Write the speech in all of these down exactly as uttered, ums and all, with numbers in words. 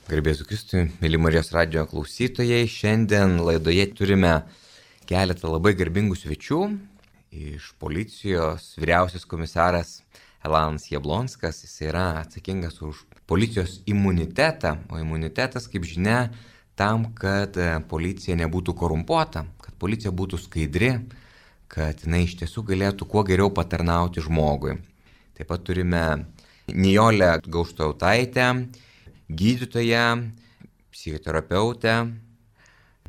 Garbėsiu Kristui, mėly Marijos radijo klausytojai, šiandien laidoje turime keletą labai garbingų svečių. Iš policijos vyriausias komisaras Elanas Jablonskas, jis yra atsakingas už policijos imunitetą, o imunitetas, kaip žinia, tam, kad policija nebūtų korumpuota, kad policija būtų skaidri, kad jinai iš tiesų galėtų kuo geriau patarnauti žmogui. Taip pat turime Nijolę Gauštautaitę, gydytoją, psichoterapeutę,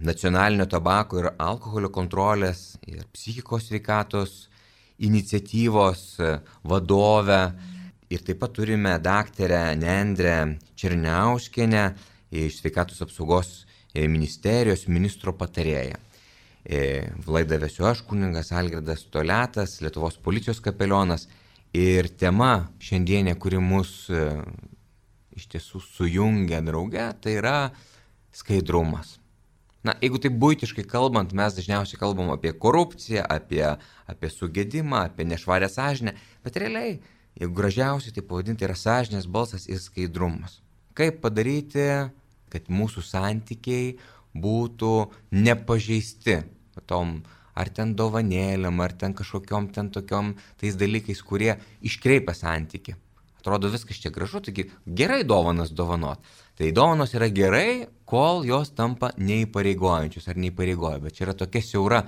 nacionalinio tabako ir alkoholio kontrolės ir psichikos sveikatos iniciatyvos vadovę. Ir taip pat turime daktarę Nendrę Černiauskienę iš Sveikatos apsaugos ministerijos ministro patarėją. Laidą vesiu aš, kunigas Algirdas Toliatas, Lietuvos policijos kapelionas. Ir tema šiandienė, kuri mus iš tiesų sujungia drauge, tai yra skaidrumas. Na, jeigu taip buitiškai kalbant, mes dažniausiai kalbam apie korupciją, apie, apie sugedimą, apie nešvarę sąžinę, bet realiai, jeigu gražiausiai tai pavadinti, yra sąžinės balsas ir skaidrumas. Kaip padaryti, kad mūsų santykiai būtų nepažeisti tom ar ten dovanėlėm, ar ten kažkokiom ten tokiom tais dalykais, kurie iškreipia santykį. Atrodo viskas čia gražu, taigi gerai dovanas dovanot. Tai dovanos yra gerai, kol jos tampa neįpareigojančius ar neįpareigoja, bet čia yra tokia siaura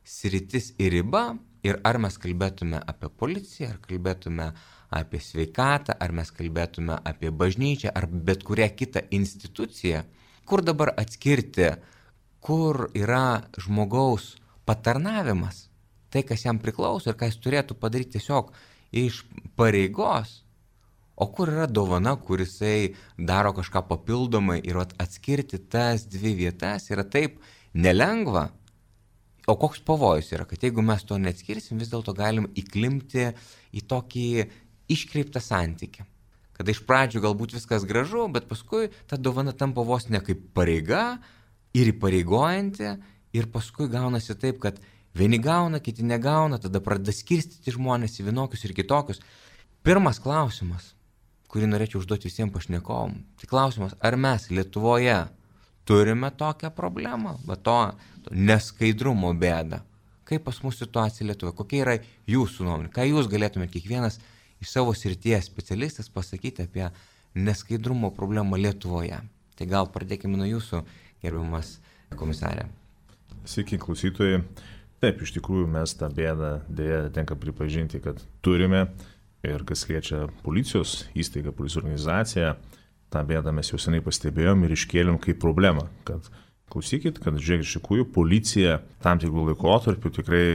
sritis ir riba. Ir ar mes kalbėtume apie policiją, ar kalbėtume apie sveikatą, ar mes kalbėtume apie bažnyčią, ar bet kurią kitą instituciją, kur dabar atskirti, kur yra žmogaus patarnavimas, tai kas jam priklauso ir ką jis turėtų padaryti tiesiog iš pareigos, o kur yra dovana, kur jisai daro kažką papildomai ir atskirti tas dvi vietas yra taip nelengva. O koks pavojus yra, kad jeigu mes to neatskirsim, vis dėlto galim įklimpti į tokį iškreiptą santykį. Kada iš pradžių galbūt viskas gražu, bet paskui ta dovana tampa vos ne kaip pareiga ir įpareigojanti ir paskui gaunasi taip, kad vieni gauna, kiti negauna, tada pradeda skirstyti žmonės į vienokius ir kitokius. Pirmas klausimas, kurį norėčiau užduoti visiems pašnekovom. Tai klausimas, ar mes Lietuvoje turime tokią problemą, va to, to neskaidrumo bėdą? Kaip pas mūsų situacija Lietuvoje? Kokia yra jūsų nuomonė? Ką jūs galėtumėte kiekvienas iš savo srities specialistas pasakyti apie neskaidrumo problemą Lietuvoje? Tai gal pradėkime nuo jūsų, gerbiamas komisarė. Sveiki, klausytojai. Taip, iš tikrųjų mes tą bėdą dėja tenka pripažinti, kad turime. Ir kas liečia policijos įstaigą, policijos organizaciją, tą bėdą mes jau seniai pastebėjom ir iškėlėm kaip problemą. Kad klausykit, kad žiūrėkit, iš tikrųjų policija tam tikrų laikotarpių tikrai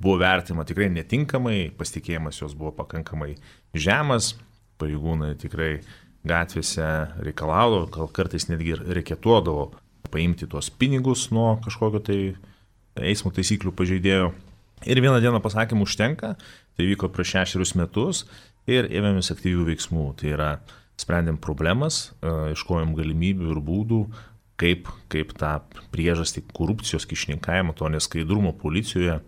buvo vertima tikrai netinkamai, pasitikėjimas jos buvo pakankamai žemas, pareigūnai tikrai gatvėse reikalaudavo, gal kartais netgi reikėtuodavo paimti tuos pinigus nuo kažkokio tai eismo taisyklių pažeidėjo. Ir vieną dieną pasakėm užtenka, tai vyko prieš šešerius metus ir ėmėmės aktyvių veiksmų. Tai yra, sprendėm problemas, ieškojom galimybių ir būdų, kaip, kaip tą priežastį korupcijos kišininkavimo, to neskaidrumo policijoje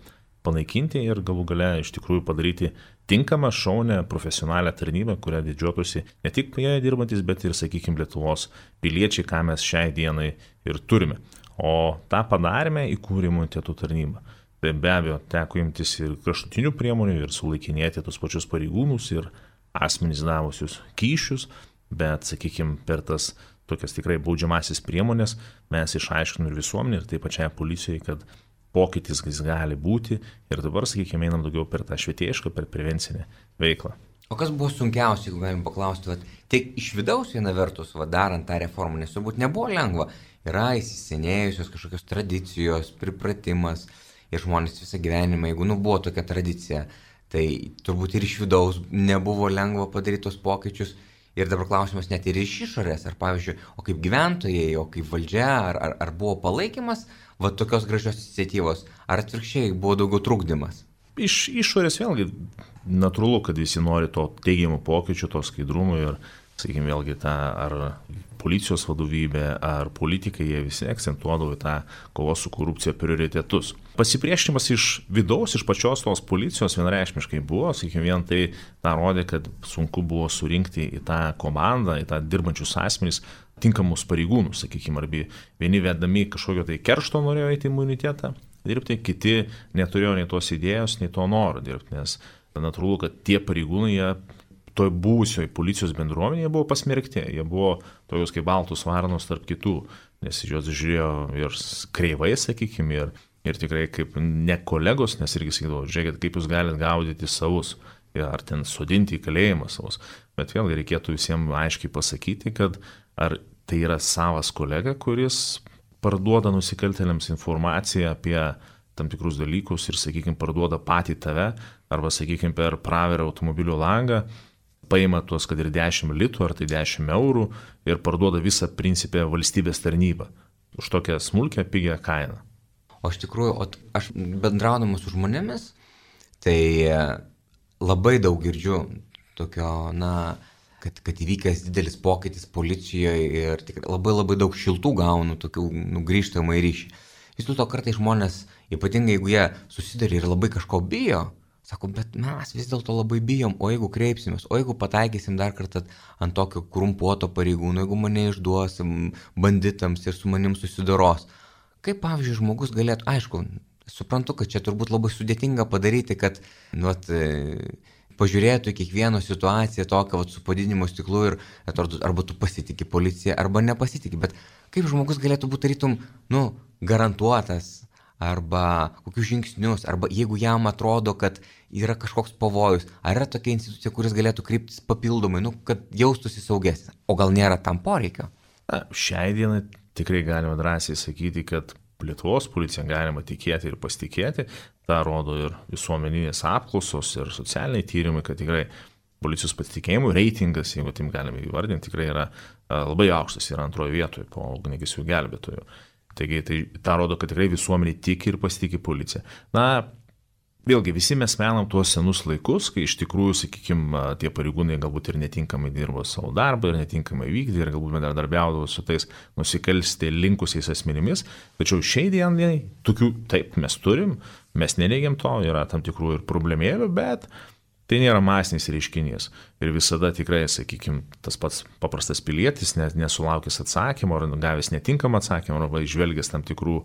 panaikinti ir galų gale iš tikrųjų padaryti tinkamą, šaunę, profesionalią tarnybą, kurią didžiuotųsi ne tik joje dirbantis, bet ir, sakykime, Lietuvos piliečiai, ką mes šiai dienai ir turime. O tą padarėme įkūrė imuniteto tarnybą. Tai be abejo, teko imtis ir kraštutinių priemonių ir sulaikinėti tos pačius pareigūnus ir asmenys davusius kyšius, bet, sakykime, per tas tokias tikrai baudžiamasis priemonės mes išaiškinome ir visuomenį ir taip pačiai policijai, kad pokytis jis gali būti ir dabar, sakykime, einam daugiau per tą švietėjišką, per prevencinę veiklą. O kas buvo sunkiausia, jeigu galim paklausti, vat, tiek iš vidaus viena vertus, va, darant tą reformą, nes turbūt nebuvo lengva, yra įsisenėjusios kažkokios tradicijos, pripratimas. Ir žmonės visą gyvenimą, jeigu nu, buvo tokia tradicija, tai turbūt ir iš vidaus nebuvo lengva padaryti tos pokyčius. Ir dabar klausimas net ir iš išorės, ar pavyzdžiui, o kaip gyventojai, o kaip valdžia, ar, ar, ar buvo palaikymas va, tokios gražios iniciatyvos, ar atvirkščiai buvo daugiau trukdymas? Iš išorės vėlgi natūralu, kad visi nori to teigiamų pokyčių, to skaidrumo ir, sakykime, vėlgi tą ar policijos vadovybė ar politikai, jie visi akcentuodavo į tą kovos su korupcija prioritetus. Pasipriešinimas iš vidaus, iš pačios tos policijos vienareikšmiškai buvo, sakykime, vien tai tą rodė, kad sunku buvo surinkti į tą komandą, į tą dirbančius asmenys tinkamus pareigūnus, sakykime, arba vieni vedami kažkokio tai keršto norėjo įti imunitetą dirbti, kiti neturėjo nei tos idėjos, nei to noro dirbti, nes natūralu, kad tie pareigūnai, jie toj buvusioj policijos bendruomenėje buvo pasmerkti, jie buvo tokios kaip baltus varnos tarp kitų, nes juos žiūrėjo ir kreivai, sakykime, ir, ir tikrai kaip ne kolegos, nes irgi sakydavo, žiūrėkit, kaip jūs galite gaudyti savus, ar ten sodinti į kalėjimą savus, bet vėlgi reikėtų visiems aiškiai pasakyti, kad ar tai yra savas kolega, kuris parduoda nusikaltėliams informaciją apie tam tikrus dalykus ir, sakykime, parduoda patį tave, arba, sakykime, per praverą automobilio langą, paima tuos, kad ir dešimt litų, ar tai dešimt eurų ir parduoda visą principę valstybės tarnybą už tokią smulkę, pigią kainą. O iš tikrųjų, o aš bendraudamas su žmonėmis, tai labai daug girdžiu tokio, na, kad, kad įvykęs didelis pokytis policijoje ir tikrai labai labai daug šiltų gaunu tokių nugrįžtamą į ryšį. Vis dėlto kartais žmonės, ypatingai jeigu jie susiduria ir labai kažko bijo, sako, bet mes vis dėlto labai bijom, o jeigu kreipsimės, o jeigu pataikysim dar kartą ant tokio korumpuoto pareigūno, jeigu mane išduosim banditams ir su manim susidoros. Kaip, pavyzdžiui, žmogus galėtų, aišku, suprantu, kad čia turbūt labai sudėtinga padaryti, kad, nu, at, pažiūrėtų į kiekvieno situaciją tokią vat, su padidinimo stiklu ir atrodo, arba tu pasitiki policiją, arba nepasitiki, bet kaip žmogus galėtų būti tarytum, nu, garantuotas, arba kokius žingsnius, arba jeigu jam atrodo, kad yra kažkoks pavojus, ar yra tokia institucija, kuris galėtų kryptis papildomai, nu, kad jaustųsi saugesnė, o gal nėra tam poreikio? Na, šiai dienai tikrai galima drąsiai sakyti, kad Lietuvos policija galima tikėti ir pasitikėti, tą rodo ir visuomeninės apklausos ir socialiniai tyrimai, kad tikrai policijos pasitikėjimų reitingas, jeigu taip galime įvardinti, tikrai yra labai aukštas, yra antroje vietoje po ugniagesių gelbėtojų. Taigi tai tą rodo, kad tikrai visuomenė tiki ir pasitikė policiją. Na, vėlgi, visi mes menam tuos senus laikus, kai iš tikrųjų, sakykime, tie pareigūnai galbūt ir netinkamai dirbo savo darbą ir netinkamai vykdė ir galbūt bendradarbiaudavo su tais nusikalsti linkusiais asmenimis. Tačiau šiai dienai tokių taip mes turim, mes neneigiam to, yra tam tikrų ir problemėlių, bet tai nėra masinis reiškinys. Ir visada tikrai, sakykime, tas pats paprastas pilietis, nesulaukęs atsakymo ar gavęs netinkamą atsakymą arba išvelgęs tam tikrų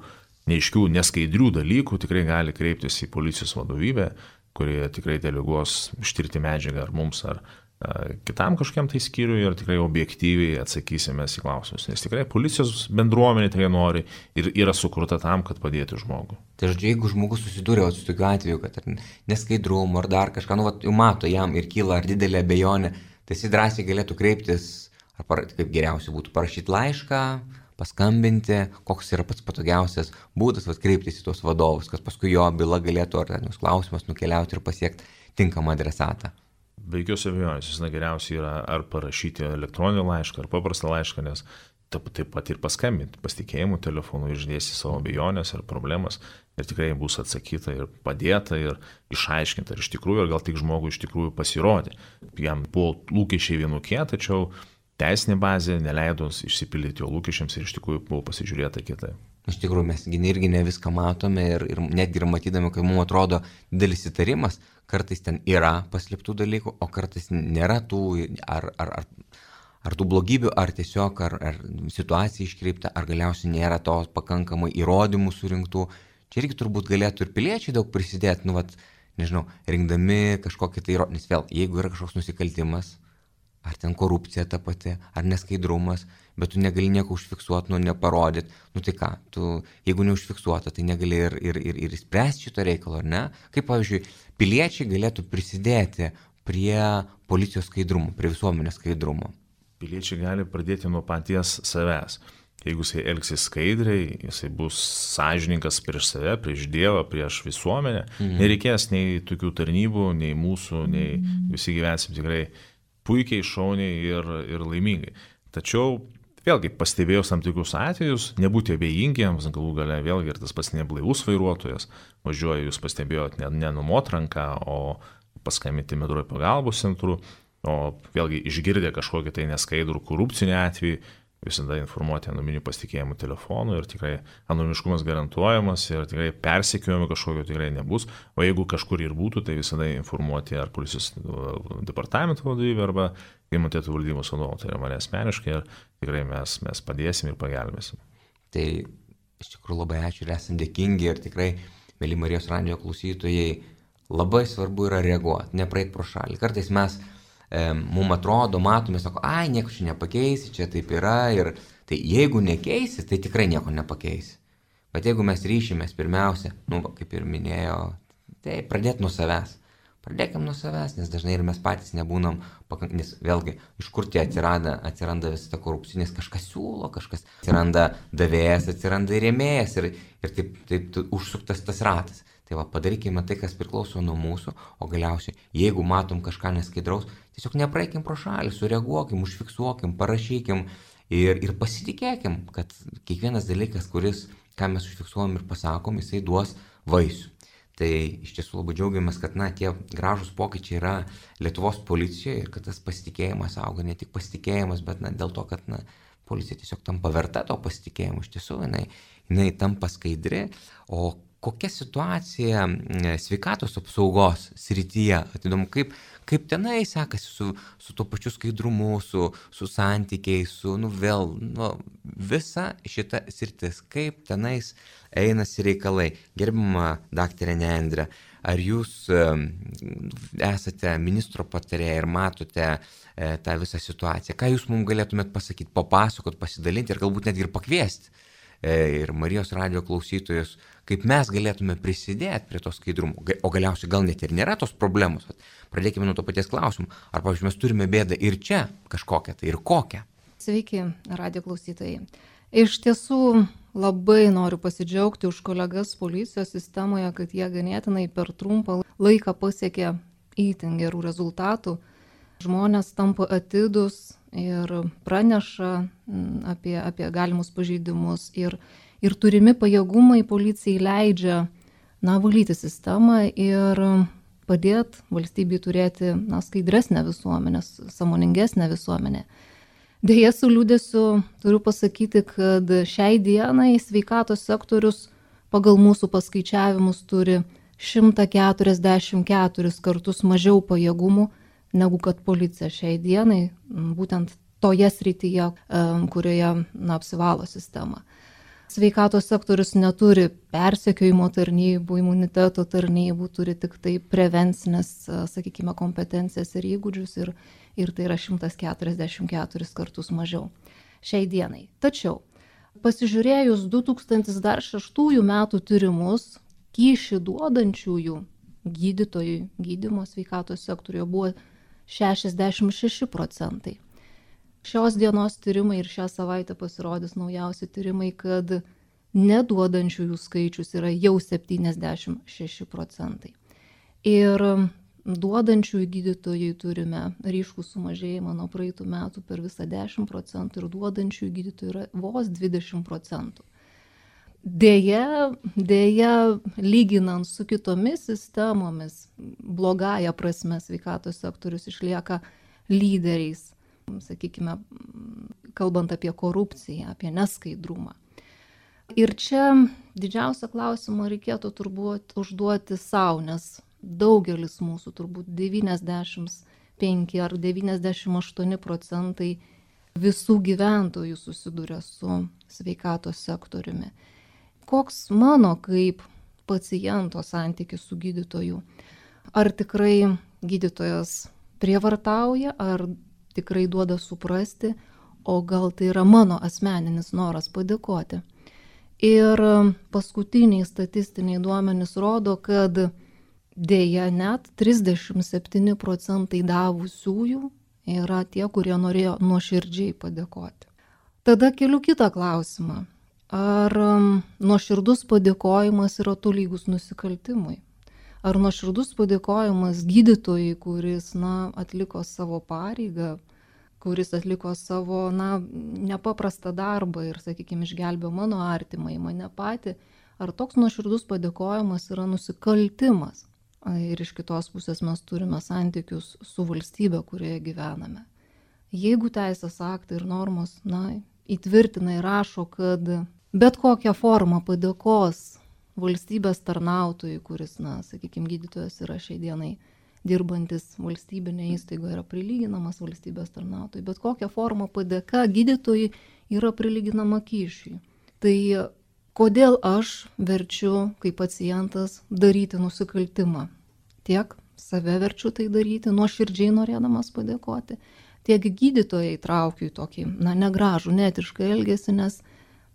neiškių, neskaidrių dalykų, tikrai gali kreiptis į policijos vadovybę, kurie tikrai deleguos ištirti medžiagą ar mums, ar a, kitam kažkiam tai skyriui ir tikrai objektyviai atsakysime į klausimus. Nes tikrai policijos bendruomenė tikrai nori ir yra sukurta tam, kad padėtų žmogui. Tai žodžiu, jeigu žmogus susiduria su tokiu atveju, kad neskaidrumo ar dar kažką, nu, vat, jau mato jam ir kyla ar didelė abejonė, tai jis drąsiai galėtų kreiptis, ar par, kaip geriausia būtų parašyti laišką, paskambinti, koks yra pats patogiausias būdas kreiptis į tuos vadovus, kad paskui jo byla galėtų ar ten jūs klausimas nukeliauti ir pasiekti tinkamą adresatą. Be jokios abejonės, jis geriausiai yra ar parašyti elektroninį laišką, ar paprastą laišką, nes taip, taip pat ir paskambinti pasitikėjimų telefonu, išdėsti savo abejonės ar problemas ir tikrai bus atsakyta ir padėta ir išaiškinta ir iš tikrųjų, ir gal tik žmogui iš tikrųjų pasirodė. Jam buvo lūkesčiai vienokie, tačiau teisinė bazė neleido išsipildyti jo lūkesčiams ir iš tikrųjų buvo pasižiūrėta kitai. Iš tikrųjų, mes irgi ne viską matome ir, ir netgi ir matydami, kai mums atrodo didelis įtarimas, kartais ten yra paslėptų dalykų, o kartais nėra tų ar, ar, ar, ar tų blogybių, ar tiesiog ar, ar situacija iškreipta, ar galiausiai nėra to pakankamai įrodymų surinktų. Čia irgi turbūt galėtų ir piliečiai daug prisidėti, nu, vat, nežinau, rinkdami kažkokį tai įrodymą, nes vėl, jeigu yra kažkoks nusikaltimas, ar ten korupcija ta pati, ar neskaidrumas, bet tu negali nieko užfiksuoti, nu neparodyti, nu tai ką, tu, jeigu neužfiksuota, tai negali ir, ir, ir, ir spręsti šito reikalo, ar ne? Kaip, pavyzdžiui, piliečiai galėtų prisidėti prie policijos skaidrumo, prie visuomenės skaidrumo? Piliečiai gali pradėti nuo paties savęs. Jeigu jisai elgsis skaidriai, jisai bus sąžininkas prieš save, prieš Dievą, prieš visuomenę, mhm. nereikės nei tokių tarnybų, nei mūsų, nei visi gyvensim tikrai puikiai, šauniai ir, ir laimingai. Tačiau, vėlgi, pastebėjus tam tikrus atvejus, nebūti abejingiems, galų gale vėlgi ir tas pats neblaivus vairuotojas, važiuoja, jūs pastebėjot, ne, ne numot ranką, o paskambinti medruoju pagalbos centru, o vėlgi išgirdę kažkokį tai neskaidrų korupcinį atvejį, visada informuoti anoniminiu pasitikėjimu telefonu ir tikrai anonimiškumas garantuojamas ir tikrai persekiojimo kažkokio tikrai nebus, o jeigu kažkur ir būtų, tai visada informuoti ar policijos departamento vadovybę arba imuniteto valdybos vadovą, tai yra mane asmeniškai ir tikrai mes, mes padėsim ir pagelbėsim. Tai iš tikrųjų labai ačiū ir esam dėkingi ir tikrai, mėly Marijos radijo klausytojai, labai svarbu yra reaguoti, nepraeit pro šalį. Kartais mes, e, mums atrodo, matome, sako, ai, nieko čia nepakeisi, čia taip yra ir tai jeigu nekeisi, tai tikrai nieko nepakeisi. Bet jeigu mes ryšimės pirmiausia, nu, kaip ir minėjo, tai pradėti nuo savęs. Pradėkim nuo savęs, nes dažnai ir mes patys nebūnam, pakank... nes vėlgi, iš kur tie atsiranda, atsiranda visą tą korupcinės, kažkas siūlo, kažkas atsiranda davėjas, atsiranda rėmėjas ir, ir taip, taip užsuktas tas ratas. Tai va, padarykime tai, kas priklauso nuo mūsų, o galiausiai, jeigu matom kažką neskaidraus, tiesiog nepraeikim pro šalį, sureaguokim, užfiksuokim, parašykim ir, ir pasitikėkim, kad kiekvienas dalykas, kuris, ką mes užfiksuojam ir pasakom, jisai duos vaisių. Tai iš tiesų labai džiaugiamės, kad na, tie gražūs pokyčiai yra Lietuvos policijoje ir kad tas pasitikėjimas auga, ne tik pasitikėjimas, bet na, dėl to, kad na, policija tiesiog tampa verta to pasitikėjimo, iš tiesų jinai, jinai tampa skaidri, o kokia situacija sveikatos apsaugos srityje, įdomu, kaip, kaip tenai sekasi su, su to pačiu skaidrumu, su, su santykiais, su, nu vėl, nu, visa šita sritis, kaip tenais einasi reikalai. Gerbima daktarė Nendrė, ar jūs esate ministro patarėja ir matote e, tą visą situaciją? Ką jūs mums galėtumėt pasakyti, papasakot, pasidalinti ir galbūt netgi ir pakviesti e, ir Marijos radijo klausytojus, kaip mes galėtume prisidėti prie to skaidrumo? O galiausiai gal net ir nėra tos problemos. Pradėkime nuo to paties klausimų. Ar, pavyzdžiui, mes turime bėdą ir čia kažkokią, tai ir kokią? Sveiki, radijo klausytojai. Iš tiesų labai noriu pasidžiaugti už kolegas policijos sistemoje, kad jie ganėtinai per trumpą laiką pasiekė itin gerų rezultatų. Žmonės tampa atidūs ir praneša apie, apie galimus pažeidimus ir, ir turimi pajėgumai policijai leidžia na, valyti sistemą ir padėti valstybei turėti na, skaidresnę visuomenę, sąmoningesnę visuomenę. Deja, su liūdėsiu turiu pasakyti, kad šiai dienai sveikatos sektorius pagal mūsų paskaičiavimus turi šimtą keturiasdešimt keturis kartus mažiau pajėgumų negu kad policija šiai dienai, būtent toje srityje, kurioje na, apsivalo sistema. Sveikatos sektorius neturi persekiojimo tarnybų, imuniteto tarnybų, turi tik tai prevencinės, sakykime, kompetencijas ir įgūdžius ir, ir tai yra šimtas keturiasdešimt keturis kartus mažiau šiai dienai. Tačiau, pasižiūrėjus du tūkstančiai šeštųjų metų tyrimus, kyšį duodančiųjų gydytojų gydymo sveikatos sektoriuje buvo šešiasdešimt šeši procentai. Šios dienos tyrimai ir šią savaitę pasirodys naujausi tyrimai, kad neduodančiųjų skaičius yra jau septyniasdešimt šeši procentai. Ir duodančiųjų gydytojai turime ryškų sumažėjimą nuo praeitų metų per visą dešimt procentų ir duodančiųjų gydytojų yra vos dvidešimt procentų. Deja, deja, lyginant su kitomis sistemomis, blogąja prasme sveikatos sektorius išlieka lyderiais. Sakykime, kalbant apie korupciją, apie neskaidrumą. Ir čia didžiausią klausimą reikėtų turbūt užduoti savo, nes daugelis mūsų, turbūt devyniasdešimt penki ar devyniasdešimt aštuoni procentai visų gyventojų susiduria su sveikatos sektoriumi. Koks mano kaip paciento santykis su gydytoju? Ar tikrai gydytojas prievartauja, ar tikrai duoda suprasti, o gal tai yra mano asmeninis noras padėkoti. Ir paskutiniai statistiniai duomenys rodo, kad dėja net trisdešimt septyni procentai davusiųjų yra tie, kurie norėjo nuoširdžiai padėkoti. Tada keliu kitą klausimą. Ar nuoširdus padėkojimas yra tolygus nusikaltimui? Ar nuoširdus padėkojimas gydytojai, kuris na, atliko savo pareigą, kuris atliko savo na, nepaprastą darbą ir, sakykime, išgelbėjo mano artimą į mane patį, ar toks nuoširdus padėkojimas yra nusikaltimas? Ir iš kitos pusės mes turime santykius su valstybe, kurioje gyvename. Jeigu teisės aktai ir normos na, įtvirtina ir rašo, kad bet kokią formą padėkos valstybės tarnautojui, kuris, na, sakykime, gydytojas yra šiai dienai dirbantis valstybinė įstaiga, yra prilyginamas valstybės tarnautojui, bet kokią formą padėka gydytojui yra prilyginama kyšiui. Tai kodėl aš verčiu, kaip pacientas, daryti nusikaltimą? Tiek save verčiu tai daryti, nuoširdžiai norėdamas padėkoti, tiek gydytojai traukiu į tokį, na, negražų, netišką elgesį, nes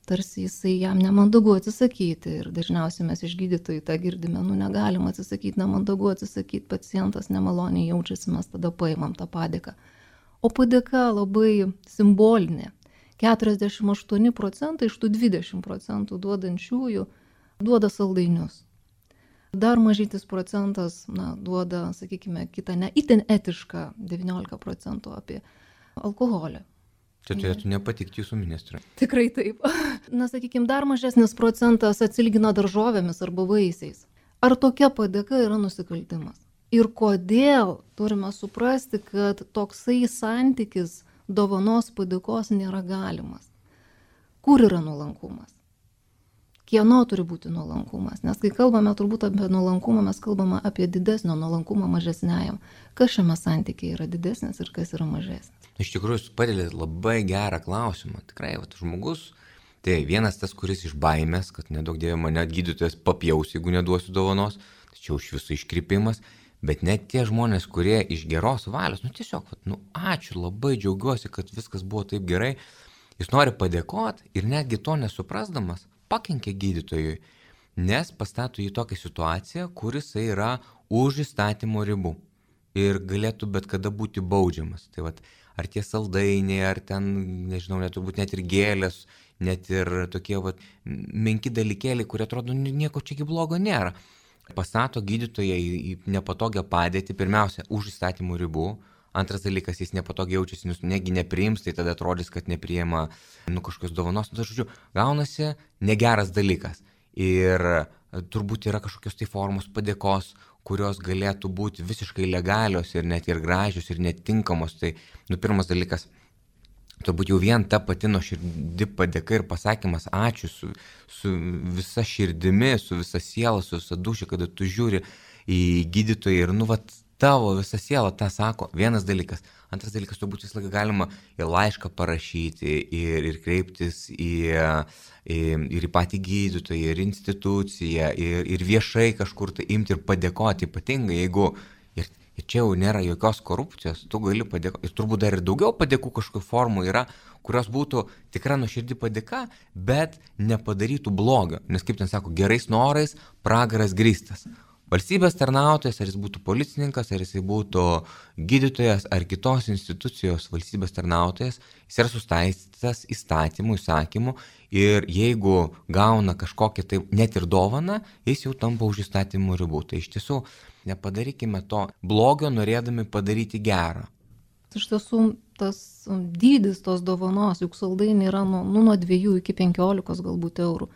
tarsi jisai jam nemandagu atsisakyti. Ir dažniausiai mes iš gydytojų tą girdime, nu, negalim atsisakyti, nemandagu atsisakyti, pacientas nemaloniai jaučiasi, mes tada paimam tą padėką. O padėka labai simbolinė. keturiasdešimt aštuoni procentai iš tų dvidešimt procentų duodančiųjų duoda saldainius. Dar mažytis procentas, na, duoda, sakykime, kitą ne itin etišką devyniolika procentų apie alkoholį. Čia turėtų nepatikti jūsų ministrui. Tikrai taip. Na, sakykime, dar mažesnis procentas atsilgina daržovėmis arba vaisiais. Ar tokia padėka yra nusikaltimas? Ir kodėl turime suprasti, kad toksai santykis dovanos padėkos nėra galimas? Kur yra nuolankumas? Kieno turi būti nuolankumas? Nes kai kalbame turbūt apie nuolankumą, mes kalbame apie didesnio nuolankumą mažesniajam. Kas šiame santykiai yra didesnis ir kas yra mažesnis? Iš tikrųjų, jūs padėlėt labai gerą klausimą. Tikrai, vat, žmogus, tai vienas tas, kuris iš baimės, kad nedaug dievė mane gydytojas papjaus, jeigu neduosiu dovanos, tačiau iš viso iškrypimas. Bet net tie žmonės, kurie iš geros valios, nu tiesiog, vat, nu ačiū, labai džiaugiuosi, kad viskas buvo taip gerai, jis nori padėkoti ir netgi to nesuprasdamas, pakenkia gydytojui, nes pastato į tokią situaciją, kuris yra už įstatymo ribų ir galėtų bet kada būti baudžiamas. Tai vat, ar tie saldainiai, ar ten, nežinau, net turbūt net ir gėlės, net ir tokie vat, menki dalykėliai, kurie atrodo, nieko čia blogo nėra. Pastato gydytoją į nepatogią padėtį, pirmiausia, už įstatymų ribų. Antras dalykas, jis nepatogiai jaučiasi, nes negi nepriims, tai tada atrodys, kad nepriima nu, kažkokios dovanos. Nu, tai, žodžiu, gaunasi negeras dalykas. Ir turbūt yra kažkokios tai formos padėkos, kurios galėtų būti visiškai legalios ir net ir gražios ir netinkamos. Tai, nu, pirmas dalykas, turbūt jau vien ta pati nuoširdi padėka ir pasakymas ačiū su, su visa širdimi, su visa siela, su visa duša, kada tu žiūri į gydytoją ir, nu, vat, tavo visa siela tą sako, vienas dalykas. Antras dalykas, turbūt visą laiką galima ir laišką parašyti, ir, ir kreiptis į, į, ir į patį gydytoją, ir instituciją, ir, ir viešai kažkur tai imti ir padėkoti, ypatingai, jeigu ir, ir čia jau nėra jokios korupcijos, tu gali padėkoti. Ir turbūt dar ir daugiau padėkų kažkokių formų yra, kurios būtų tikra nuoširdi padėka, bet nepadarytų blogio. Nes kaip ten sako, gerais norais pragaras grįstas. Valstybės tarnautojas, ar jis būtų policininkas, ar jis būtų gydytojas, ar kitos institucijos valstybės tarnautojas, jis yra sustaistytas įstatymų, įsakymų ir jeigu gauna kažkokią tai net ir dovaną, jis jau tampa už įstatymų ribų. Tai iš tiesų nepadarykime to blogio, norėdami padaryti gerą. Iš tiesų tas dydis tos dovanos, juk saldainiai yra nuo, nuo dviejų iki penkiolikos galbūt eurų.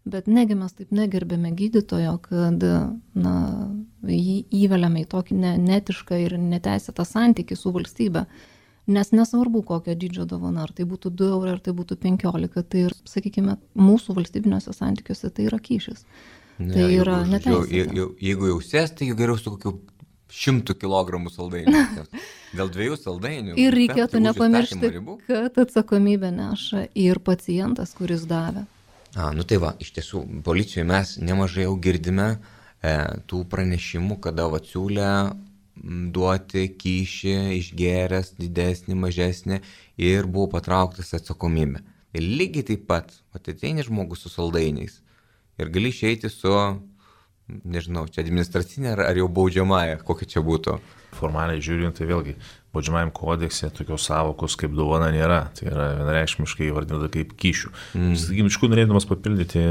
Bet negi mes taip negerbėme gydytojo, kad na, jį įveliame į tokį ne, netišką ir neteisėtą santykį su valstybe. Nes nesvarbu, kokio dydžio dovana, ar tai būtų du eurai, ar tai būtų penkiolika, tai ir, sakykime, mūsų valstybiniuose santykiuose tai yra kyšis. Ne, tai jeigu, yra neteisėta. Jeigu, jeigu jau sės, tai geriau su kokiu šimtų kilogramų saldainių. Dėl dviejų saldainių. Ir reikėtų nepamiršti, kad atsakomybę neša ir pacientas, kuris davė. A, nu tai va, iš tiesų, policijoje mes nemažai jau girdime e, tų pranešimų, kada va siūlė duoti kyšį, išgėręs, didesnį, mažesnį ir buvo patrauktas atsakomybė. Ir lygiai taip pat, ateini žmogus su saldainiais ir gali išeiti su, nežinau, čia administracinė ar, ar jau baudžiamąja, kokia čia būtų. Formaliai žiūrint, tai vėlgi, baudžiamajam kodekse tokios savokos kaip dovana nėra, tai yra vienareikšmiškai įvardinta kaip kyšių. Mm. Sakykim, iš kur norėdamas papildyti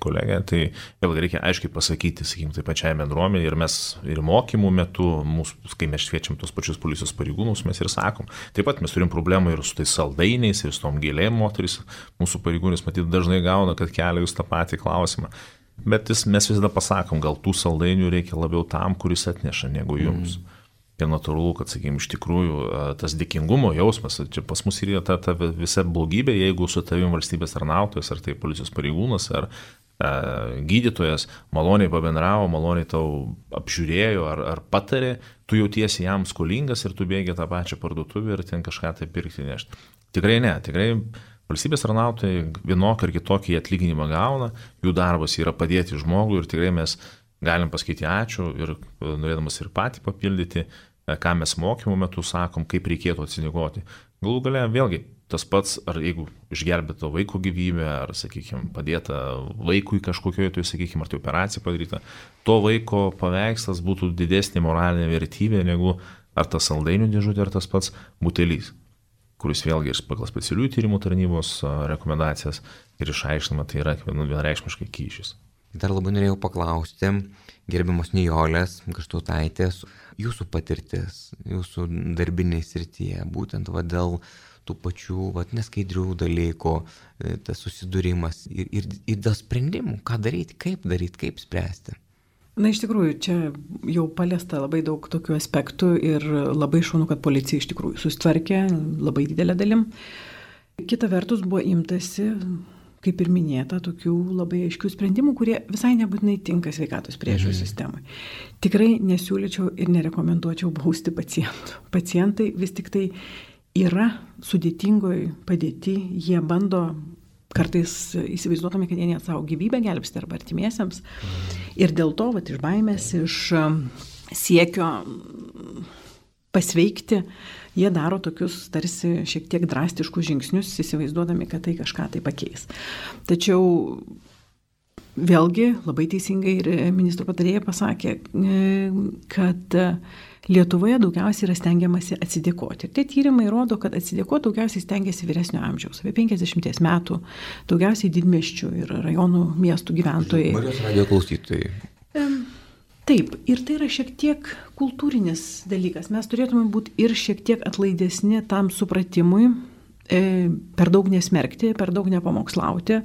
kolegę, tai vėlgi reikia aiškiai pasakyti, sakykim, tai pačiai bendruomenė ir mes ir mokymų metu, mūsų, kai mes šviečiam tos pačius policijos pareigūnus, mes ir sakom. Taip pat mes turim problemą ir su tais saldainiais, ir su tom gėlėm moteris, mūsų pareigūnės matyt dažnai gauna, kad kelia jūs tą patį klausimą. Bet mes visada pasakom, gal tų saldainių reikia labiau tam, kuris atneša, negu jums. Mm. ir natūralu, kad, sakykime, iš tikrųjų tas dėkingumo jausmas, čia pas mus yra ta, ta visa blogybė, jeigu su tavim valstybės tarnautojas, ar tai policijos pareigūnas, ar e, gydytojas maloniai pabendravo, maloniai tau apžiūrėjo ar, ar patarė, tu jautiesi jam skolingas ir tu bėgi tą pačią parduotuvę ir ten kažką tai pirkti nešti. Tikrai ne, tikrai valstybės tarnautojai vienokį ar kitokį atlyginimą gauna, jų darbas yra padėti žmogui ir tikrai mes galim pasakyti ačiū ir norėdamas ir patį papildyti, ką mes mokymų metu sakom, kaip reikėtų atsinigoti. Galų gale vėlgi tas pats, ar jeigu išgelbėto vaiko gyvybę, ar, sakykime, padėta vaikui kažkokioje, tai, sakykime, ar tai operacija padaryta, to vaiko paveikslas būtų didesnė moralinė vertybė negu ar tas saldainių dėžutė, ar tas pats butelys, kuris vėlgi ir pagal specialiųjų tyrimų tarnybos rekomendacijas ir išaiškinama, tai yra vienareikšmiškai kyšis. Dar labai norėjau paklausti, gerbiamos Nijolės Gaštautaitės, jūsų patirtis, jūsų darbinėje srityje, būtent va, dėl tų pačių va, neskaidrių dalykų, tas susidūrimas ir, ir, ir dėl sprendimų, ką daryti, kaip daryti, kaip spręsti. Na, iš tikrųjų, čia jau paliesta labai daug tokių aspektų ir labai šaunu, kad policija iš tikrųjų susitvarkė labai didelę dalim. Kita vertus buvo imtasi, kaip ir minėta, tokių labai aiškių sprendimų, kurie visai nebūtinai tinka sveikatos priežiūros mhm. sistemai. Tikrai nesiūlyčiau ir nerekomenduočiau bausti pacientų. Pacientai vis tik tai yra sudėtingoj padėti, jie bando kartais įsivaizduotami, kad jie net savo gyvybę gelbsti arba artimiesiems. Mhm. Ir dėl to, vat, iš baimės, iš siekio pasveikti, jie daro tokius tarsi šiek tiek drastiškus žingsnius, įsivaizduodami, kad tai kažką tai pakeis. Tačiau vėlgi labai teisingai ir ministro patarėja pasakė, kad Lietuvoje daugiausiai yra stengiamasi atsidėkoti. Ir tie tyrimai rodo, kad atsidėkoti daugiausiai stengiasi vyresnio amžiaus, apie penkiasdešimt metų, daugiausiai didmiesčių ir rajonų miestų gyventojai. Marijos radijo klausytojai. Taip, ir tai yra šiek tiek kultūrinis dalykas. Mes turėtume būti ir šiek tiek atlaidesni tam supratimui, per daug nesmerkti, per daug nepamokslauti.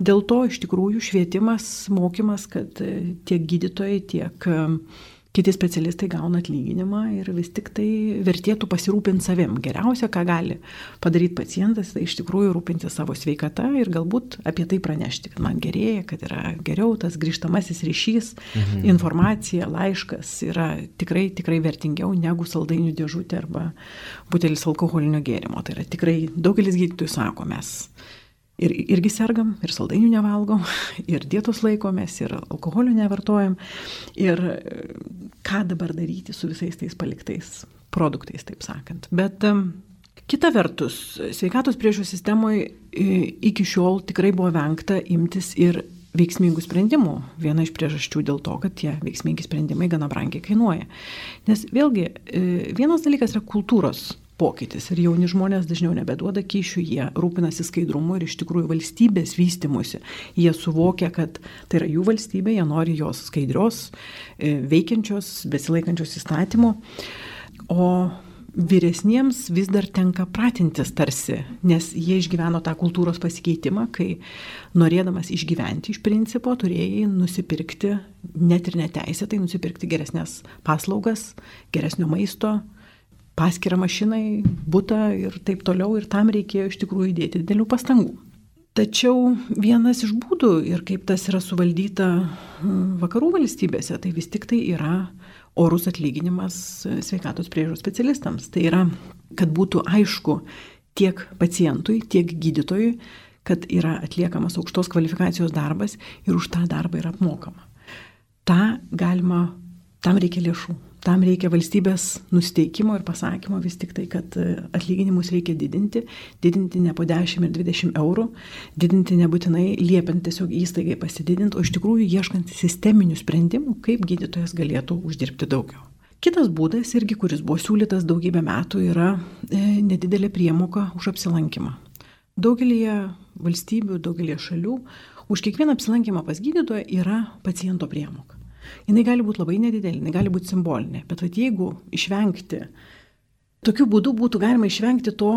Dėl to iš tikrųjų švietimas, mokymas, kad tiek gydytojai, tiek kiti specialistai gauna atlyginimą ir vis tik tai vertėtų pasirūpinti savim. Geriausia, ką gali padaryti pacientas, tai iš tikrųjų rūpinti savo sveikata ir galbūt apie tai pranešti, kad man gerėja, kad yra geriau, tas grįžtamasis ryšys, mhm. informacija, laiškas yra tikrai, tikrai vertingiau negu saldainių dėžutė arba butelis alkoholinio gėrimo. Tai yra tikrai daugelis gydytojų sako, mes Ir, irgi sergam, ir saldainių nevalgom, ir dietos laikomės, ir alkoholio nevartojam. Ir ką dabar daryti su visais tais paliktais produktais, taip sakant. Bet um, kita vertus, sveikatos priežiūros sistemoje iki šiol tikrai buvo vengta imtis ir veiksmingų sprendimų. Viena iš priežasčių dėl to, kad tie veiksmingi sprendimai gana brangiai kainuoja. Nes vėlgi, vienas dalykas yra kultūros pokytis ir jauni žmonės dažniau nebeduoda kyšių, jie rūpinasi skaidrumu ir iš tikrųjų valstybės vystimusi. Jie suvokia, kad tai yra jų valstybė, jie nori jos skaidrios, veikiančios, besilaikančios įstatymų. O vyresniems vis dar tenka pratintis tarsi, nes jie išgyveno tą kultūros pasikeitimą, kai norėdamas išgyventi iš principo turėjai nusipirkti, net ir neteisėtai nusipirkti geresnės paslaugas, geresnio maisto, paskirą mašinai, butą ir taip toliau, ir tam reikėjo iš tikrųjų įdėti didelių pastangų. Tačiau vienas iš būdų ir kaip tas yra suvaldyta vakarų valstybėse, tai vis tik tai yra orus atlyginimas sveikatos priežiūros specialistams. Tai yra, kad būtų aišku tiek pacientui, tiek gydytojui, kad yra atliekamas aukštos kvalifikacijos darbas ir už tą darbą yra apmokama. Ta galima, tam reikia lėšų. Tam reikia valstybės nusteikimo ir pasakymo vis tik tai, kad atlyginimus reikia didinti, didinti ne po dešimt ir dvidešimt eurų, didinti nebūtinai liepiant tiesiog įstaigai pasididinti, o iš tikrųjų ieškant sisteminių sprendimų, kaip gydytojas galėtų uždirbti daugiau. Kitas būdas irgi, kuris buvo siūlytas daugybę metų, yra nedidelė priemoka už apsilankymą. Daugelėje valstybių, daugelėje šalių už kiekvieną apsilankymą pas gydytoją yra paciento priemoka. Jinai gali būti labai nedidelė, jinai gali būti simbolinė, bet vat, jeigu išvengti, tokiu būdu būtų galima išvengti to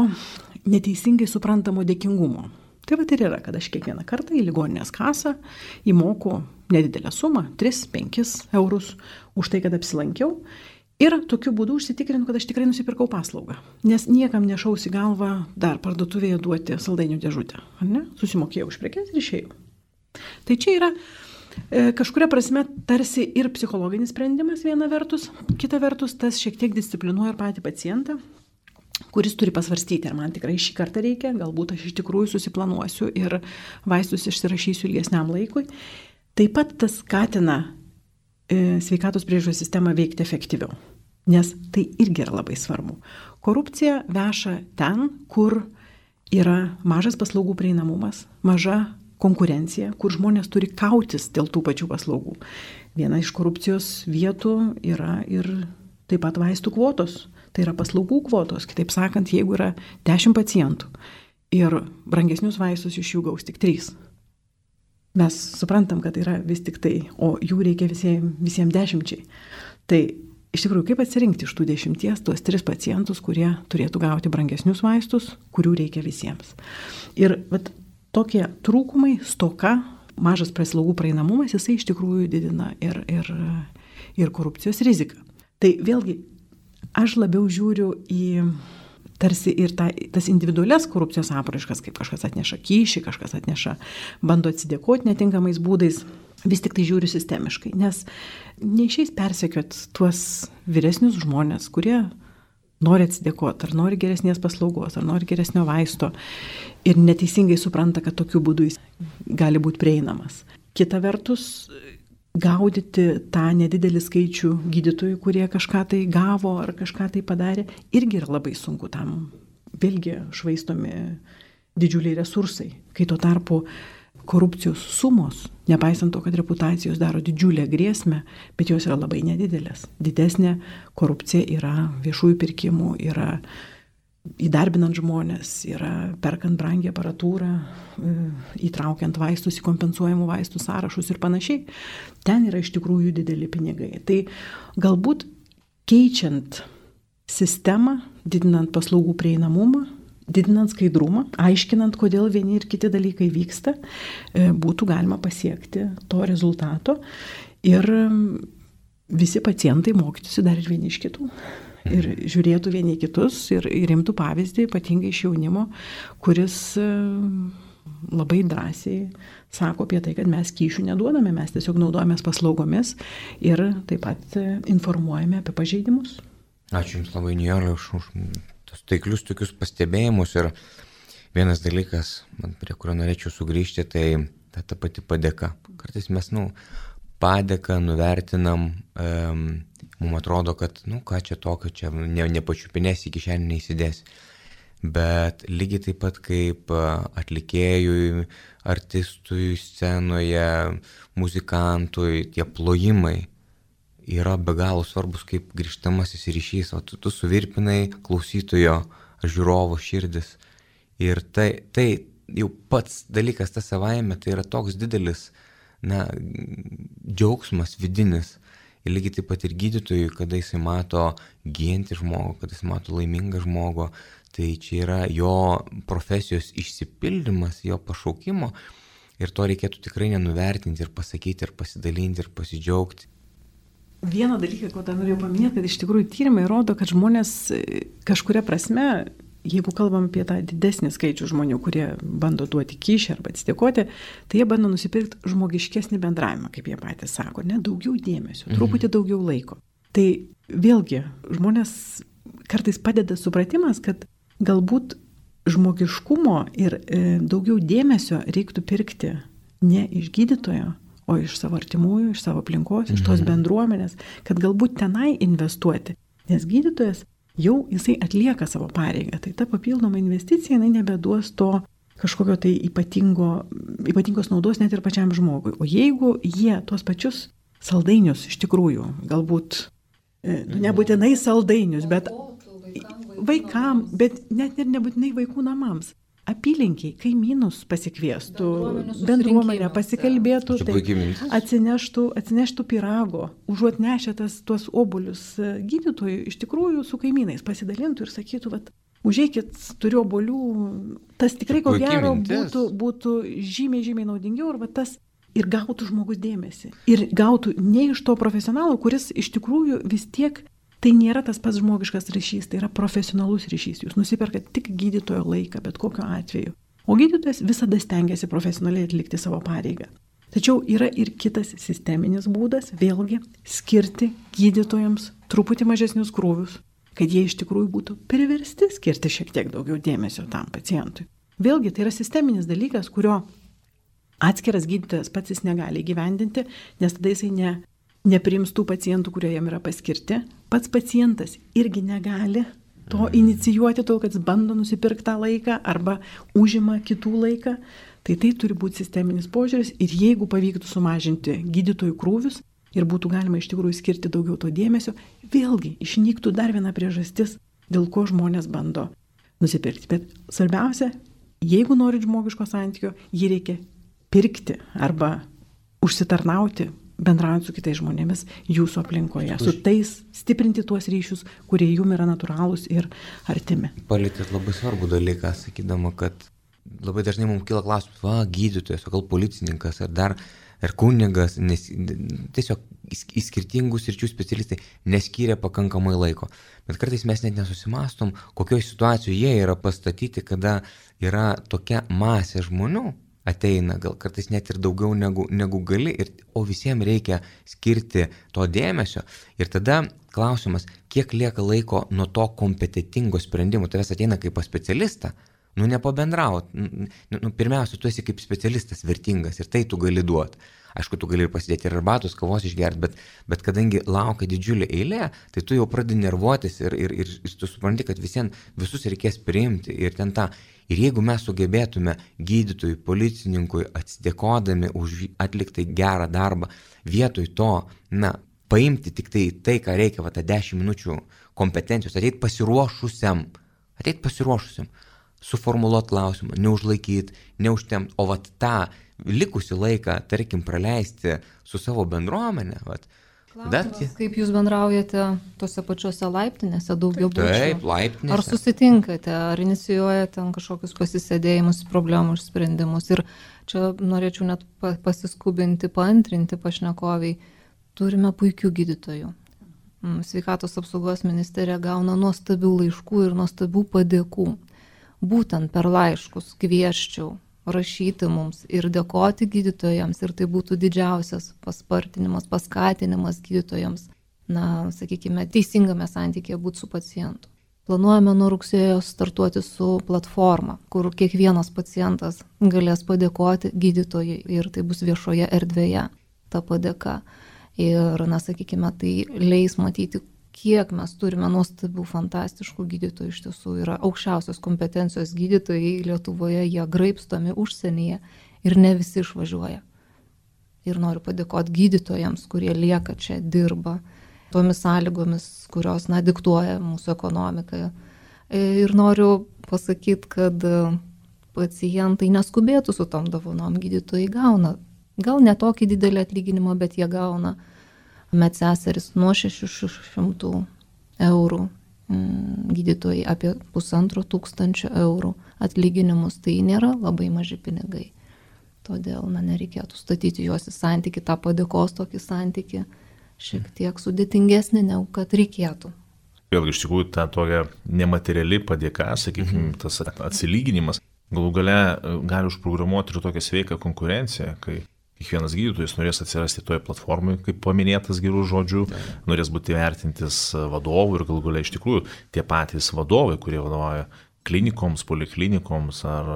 neteisingai suprantamo dėkingumo. Tai vat ir yra, kad aš kiekvieną kartą į ligoninės kasą įmoku nedidelę sumą, tris penkis eurus už tai, kad apsilankiau. Ir tokiu būdu užsitikrinu, kad aš tikrai nusipirkau paslaugą. Nes niekam nešausi galvą dar parduotuvėje duoti saldainių dėžutę. Ne? Susimokėjau už prekes ir išėjau. Tai čia yra e, kažkuria prasme tarsi ir psichologinis sprendimas viena vertus, kita vertus tas šiek tiek disciplinuoja ir patį pacientą, kuris turi pasvarstyti, ar man tikrai šį kartą reikia, galbūt aš iš tikrųjų susiplanuosiu ir vaistus išsirašysiu ilgesniam laikui. Taip pat tas skatina sveikatos priežiūros sistemą veikti efektyviau, nes tai irgi yra labai svarbu. Korupcija veša ten, kur yra mažas paslaugų prieinamumas, maža konkurencija, kur žmonės turi kautis dėl tų pačių paslaugų. Viena iš korupcijos vietų yra ir taip pat vaistų kvotos, tai yra paslaugų kvotos. Kitaip sakant, jeigu yra dešimt pacientų ir brangesnius vaistus iš jų gaus tik trys. Mes suprantam, kad tai yra vis tik tai, o jų reikia visiems, visiems dešimčiai. Tai iš tikrųjų, kaip atsirinkti iš tų dešimties tuos tris pacientus, kurie turėtų gauti brangesnius vaistus, kurių reikia visiems. Ir vat, tokie trūkumai, stoka, mažas paslaugų praeinamumas, jisai iš tikrųjų didina ir, ir, ir korupcijos riziką. Tai vėlgi, aš labiau žiūriu į tarsi ir ta, tas individualias korupcijos apraiškas, kaip kažkas atneša kyšį, kažkas atneša, bando atsidėkoti netinkamais būdais, vis tik tai žiūriu sistemiškai, nes neišeis persekiot tuos vyresnius žmonės, kurie nori atsidėkoti, ar nori geresnės paslaugos, ar nori geresnio vaisto ir neteisingai supranta, kad tokiu būdu jis gali būti prieinamas. Kita vertus, gaudyti tą nedidelį skaičių gydytojų, kurie kažką tai gavo ar kažką tai padarė, irgi yra labai sunku tam. Vėlgi švaistomi didžiuliai resursai, kai tuo tarpu korupcijos sumos, nepaisant to, kad reputacijos daro didžiulę grėsmę, bet jos yra labai nedidelės. Didesnė korupcija yra viešųjų pirkimų, yra įdarbinant žmonės, yra perkant brangią aparatūrą, įtraukiant vaistus į kompensuojamų vaistų sąrašus ir panašiai. Ten yra iš tikrųjų dideli pinigai. Tai galbūt keičiant sistemą, didinant paslaugų prieinamumą, didinant skaidrumą, aiškinant, kodėl vieni ir kiti dalykai vyksta, būtų galima pasiekti to rezultato ir visi pacientai mokytųsi dar ir vieni iš kitų. Ir žiūrėtų vieni kitus ir, ir imtų pavyzdį, ypatingai iš jaunimo, kuris labai drąsiai sako apie tai, kad mes kyšių neduodame, mes tiesiog naudojamės paslaugomis ir taip pat informuojame apie pažeidimus. Ačiū Jums labai, Nijolė, už, už tos taiklius tokius pastebėjimus. Ir vienas dalykas, man, prie kurio norėčiau sugrįžti, tai ta, ta pati padėka. Kartais mes, nu, padėką nuvertinam, um, mums atrodo, kad, nu, ką čia tokio, čia ne, nepačiupinės į kišenį neįsidės. Bet lygiai taip pat kaip atlikėjui, artistui, scenoje, muzikantui, tie plojimai yra be galo svarbus kaip grįžtamasis ryšys, o tu, tu suvirpinai klausytojo, žiūrovo širdis. Ir tai, tai jau pats dalykas tas savaime, tai yra toks didelis, na, džiaugsmas vidinis. Ir lygiai taip pat ir gydytojui, kada jisai mato gyjantį žmogų, kada jisai mato laimingą žmogų, tai čia yra jo profesijos išsipildymas, jo pašaukimo. Ir to reikėtų tikrai nenuvertinti ir pasakyti, ir pasidalinti, ir pasidžiaugti. Vieną dalyką, ko dar norėjau paminėti, kad iš tikrųjų tyrimai rodo, kad žmonės kažkuria prasme, jeigu kalbam apie tą didesnį skaičių žmonių, kurie bando duoti kyšį arba atsidėkoti, tai jie bando nusipirkti žmogiškesnį bendravimą, kaip jie patys sako, ne, daugiau dėmesio, truputį daugiau laiko. Tai vėlgi žmonės kartais padeda supratimas, kad galbūt žmogiškumo ir e, daugiau dėmesio reiktų pirkti ne iš gydytojo, o iš savo artimųjų, iš savo aplinkos, iš tos bendruomenės, kad galbūt tenai investuoti. Nes gydytojas jau jisai atlieka savo pareigą, tai ta papildoma investicija, jinai nebeduos to kažkokio tai ypatingo, ypatingos naudos net ir pačiam žmogui. O jeigu jie tuos pačius saldainius iš tikrųjų, galbūt, nu, nebūtinai saldainius, bet vaikam, bet net ir nebūtinai vaikų namams, apylinkiai, kaimynus pasikviestų, bendruomenę pasikalbėtų, tai atsineštų, atsineštų pyrago, užuot nešę tas, tuos obuolius gydytojui, iš tikrųjų su kaimynais pasidalintų ir sakytų, vat, užeikit, turiu obuolių, tas tikrai ko gero būtų, būtų žymiai, žymiai naudingiau ir, vat, tas, ir gautų žmogus dėmesį. Ir gautų ne iš to profesionalo, kuris iš tikrųjų vis tiek Tai nėra tas pats žmogiškas ryšys, tai yra profesionalus ryšys. Jūs nusiperkat tik gydytojo laiką, bet kokiu atveju. O gydytojas visada stengiasi profesionaliai atlikti savo pareigą. Tačiau yra ir kitas sisteminis būdas, vėlgi, skirti gydytojams truputį mažesnius krūvius, kad jie iš tikrųjų būtų priversti skirti šiek tiek daugiau dėmesio tam pacientui. Vėlgi, tai yra sisteminis dalykas, kurio atskiras gydytojas pats jis negali įgyvendinti, nes tada jisai ne, nepriims tų pacientų, kurie jam yra paskirti. Pats pacientas irgi negali to inicijuoti, tol kad jis bando nusipirkti tą laiką arba užima kitų laiką. Tai tai turi būti sisteminis požiūris ir jeigu pavyktų sumažinti gydytojų krūvius ir būtų galima iš tikrųjų skirti daugiau to dėmesio, vėlgi išnyktų dar viena priežastis, dėl ko žmonės bando nusipirkti. Bet svarbiausia, jeigu norit žmogiško santykio, jį reikia pirkti arba užsitarnauti, bendraujant su kitais žmonėmis jūsų aplinkoje, su tais stiprinti tuos ryšius, kurie jum yra natūralūs ir artimi. Palietėt labai svarbų dalyką, sakydama, kad labai dažnai mums kyla klausimas, va, gydytojas, o gal policininkas, ar dar, ar kunigas, nes tiesiog į skirtingų sričių specialistai neskyrė pakankamai laiko. Bet kartais mes net nesusimastom, kokioje situacijoje jie yra pastatyti, kada yra tokia masė žmonių, ateina, gal kartais net ir daugiau negu, negu gali, ir, o visiems reikia skirti to dėmesio. Ir tada klausimas, kiek lieka laiko nuo to kompetitingo sprendimo. Tavęs ateina kaip pas specialistą, nu nepabendraut. Nu, nu, pirmiausia, tu esi kaip specialistas vertingas ir tai tu gali duoti. Aišku, tu gali ir pasidėti ir arbatos, kavos išgerti, bet, bet kadangi laukia didžiulė eilė, tai tu jau pradedi nervuotis ir, ir, ir, ir tu supranti, kad visiems visus reikės priimti ir ten tą. Ir jeigu mes sugebėtume gydytojui, policininkui atsidėkodami už atliktą gerą darbą, vietoj to, na, paimti tik tai, tai ką reikia, va, tą dešimt minučių kompetencijos, ateit pasiruošusiam, ateit pasiruošusiam, suformuluoti klausimą, neužlaikyti, neužtemti, o va tą likusi laiką, tarkim, praleisti su savo bendruomenė, va. Klausimas, kaip jūs bendraujate tose pačiose laiptinėse, daugiau būčių? Taip, laiptinėse. Ar susitinkate, ar inicijuojate ten kažkokius pasisėdėjimus, problemų išsprendimus? Ir čia norėčiau net pasiskubinti, paantrinti pašnekoviai. Turime puikių gydytojų. Sveikatos apsaugos ministerija gauna nuostabių laiškų ir nuostabių padėkų. Būtent per laiškus kvieščiau rašyti mums ir dėkoti gydytojams, ir tai būtų didžiausias paspartinimas, paskatinimas gydytojams, na, sakykime, teisingame santykėje būti su pacientu. Planuojame nuo rugsėjo startuoti su platforma, kur kiekvienas pacientas galės padėkoti gydytojai ir tai bus viešoje erdvėje ta padėka. Ir, na, sakykime, tai leis matyti, kiek mes turime nuostabių, fantastiškų gydytojų, iš tiesų yra aukščiausios kompetencijos gydytojai Lietuvoje, jie graibstomi užsienyje ir ne visi išvažiuoja. Ir noriu padėkoti gydytojams, kurie lieka čia, dirba tomis sąlygomis, kurios, na, diktuoja mūsų ekonomiką. Ir noriu pasakyti, kad pacientai neskubėtų su tom dovanom, gydytojai gauna, gal ne tokį didelį atlyginimą, bet jie gauna medseseris nuo šešių šimtų eurų, gydytojai apie pusantro tūkstančio eurų atlyginimus, tai nėra labai maži pinigai. Todėl, na, nereikėtų statyti juos į santykį, tą padėkos tokį santykį, šiek tiek sudėtingesnį, negu kad reikėtų. Vėlgi, iš tikrųjų, ta tokia nemateriali padėka, sakykime, tas atsilyginimas, galų gale gali užprogramuoti ir tokią sveiką konkurenciją, kai kiekvienas gydytojas norės atsirasti toje platformoje, kaip paminėtas gerų žodžių, norės būti vertintis vadovų ir galų gale iš tikrųjų tie patys vadovai, kurie vadovauja klinikoms, poliklinikoms ar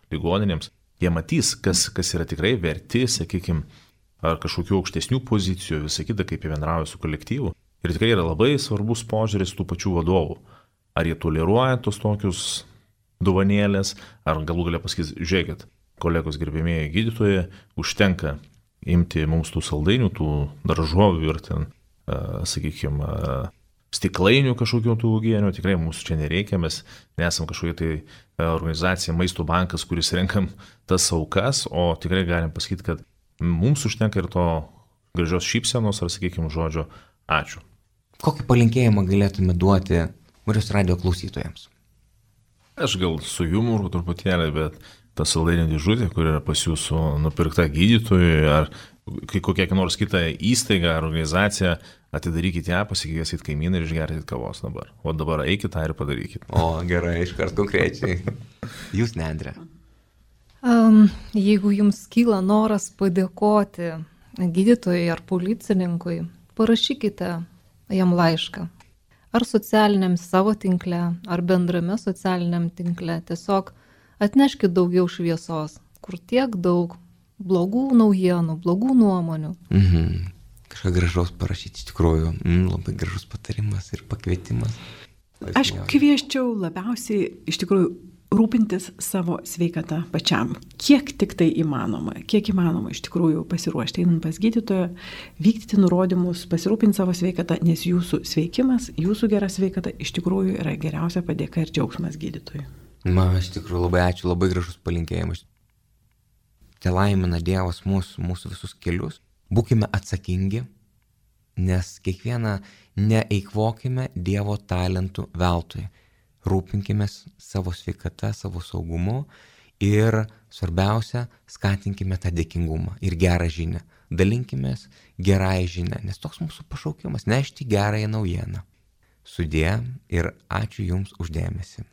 ligoninėms, jie matys, kas, kas yra tikrai verti, sakykime, ar kažkokių aukštesnių pozicijų, visą kitą, kaip jie bendrauja su kolektyvu. Ir tikrai yra labai svarbus požiūris tų pačių vadovų. Ar jie toleruoja tos tokius dovanėlės, ar galų gale pasakys, žiūrėkit, kolegos gerbėmėjai gydytojai, užtenka imti mums tų saldainių, tų daržovių ir ten, sakykime, stiklainių kažkokių tų uogienių, tikrai mūsų čia nereikia, mes nesam kažkokia tai organizacija, maisto bankas, kuris renkam tas aukas, o tikrai galim pasakyti, kad mums užtenka ir to gražios šypsenos ar, sakykime, žodžio ačiū. Kokį palinkėjimą galėtume duoti Marijos radijo klausytojams? Aš gal su jumoru truputėlį, bet ta saldainių dėžutė, kur yra pas jūsų nupirkta gydytojui ar kokia nors kita įstaiga ar organizacija, atidarykite ją, pasikviesit kaimyną ir išgerkite kavos dabar. O dabar eikite tą ir padarykite. O, gerai, iškart konkrečiai. Jūs, ne, Andre? Um, jeigu jums kyla noras padėkoti gydytojui ar policininkui, parašykite jam laišką. Ar socialiniam savo tinkle, ar bendrame socialiniam tinkle. Tiesiog atneškit daugiau šviesos, kur tiek daug blogų naujienų, blogų nuomonių. Mhm. Kažką gražaus parašyti, iš tikrųjų. Mm, labai gražus patarimas ir pakvietimas. Aš kvieščiau labiausiai iš tikrųjų rūpintis savo sveikatą pačiam. Kiek tik tai įmanoma, kiek įmanoma iš tikrųjų pasiruošti, einant pas gydytoją, vykdyti nurodymus, pasirūpinti savo sveikatą, nes jūsų sveikimas, jūsų gera sveikata iš tikrųjų yra geriausia padėka ir džiaugsmas gydytojui. Man iš tikrųjų labai ačiū, labai gražus palinkėjimas. Te laimina Dievas mūsų, mūsų visus kelius. Būkime atsakingi, nes kiekvieną neeikvokime Dievo talentų veltui. Rūpinkime savo sveikata, savo saugumu ir svarbiausia, skatinkime tą dėkingumą ir gerą žinią. Dalinkimės gerąją žinią, nes toks mūsų pašaukimas - nešti gerąją naujieną. Sudie ir ačiū Jums už dėmesį.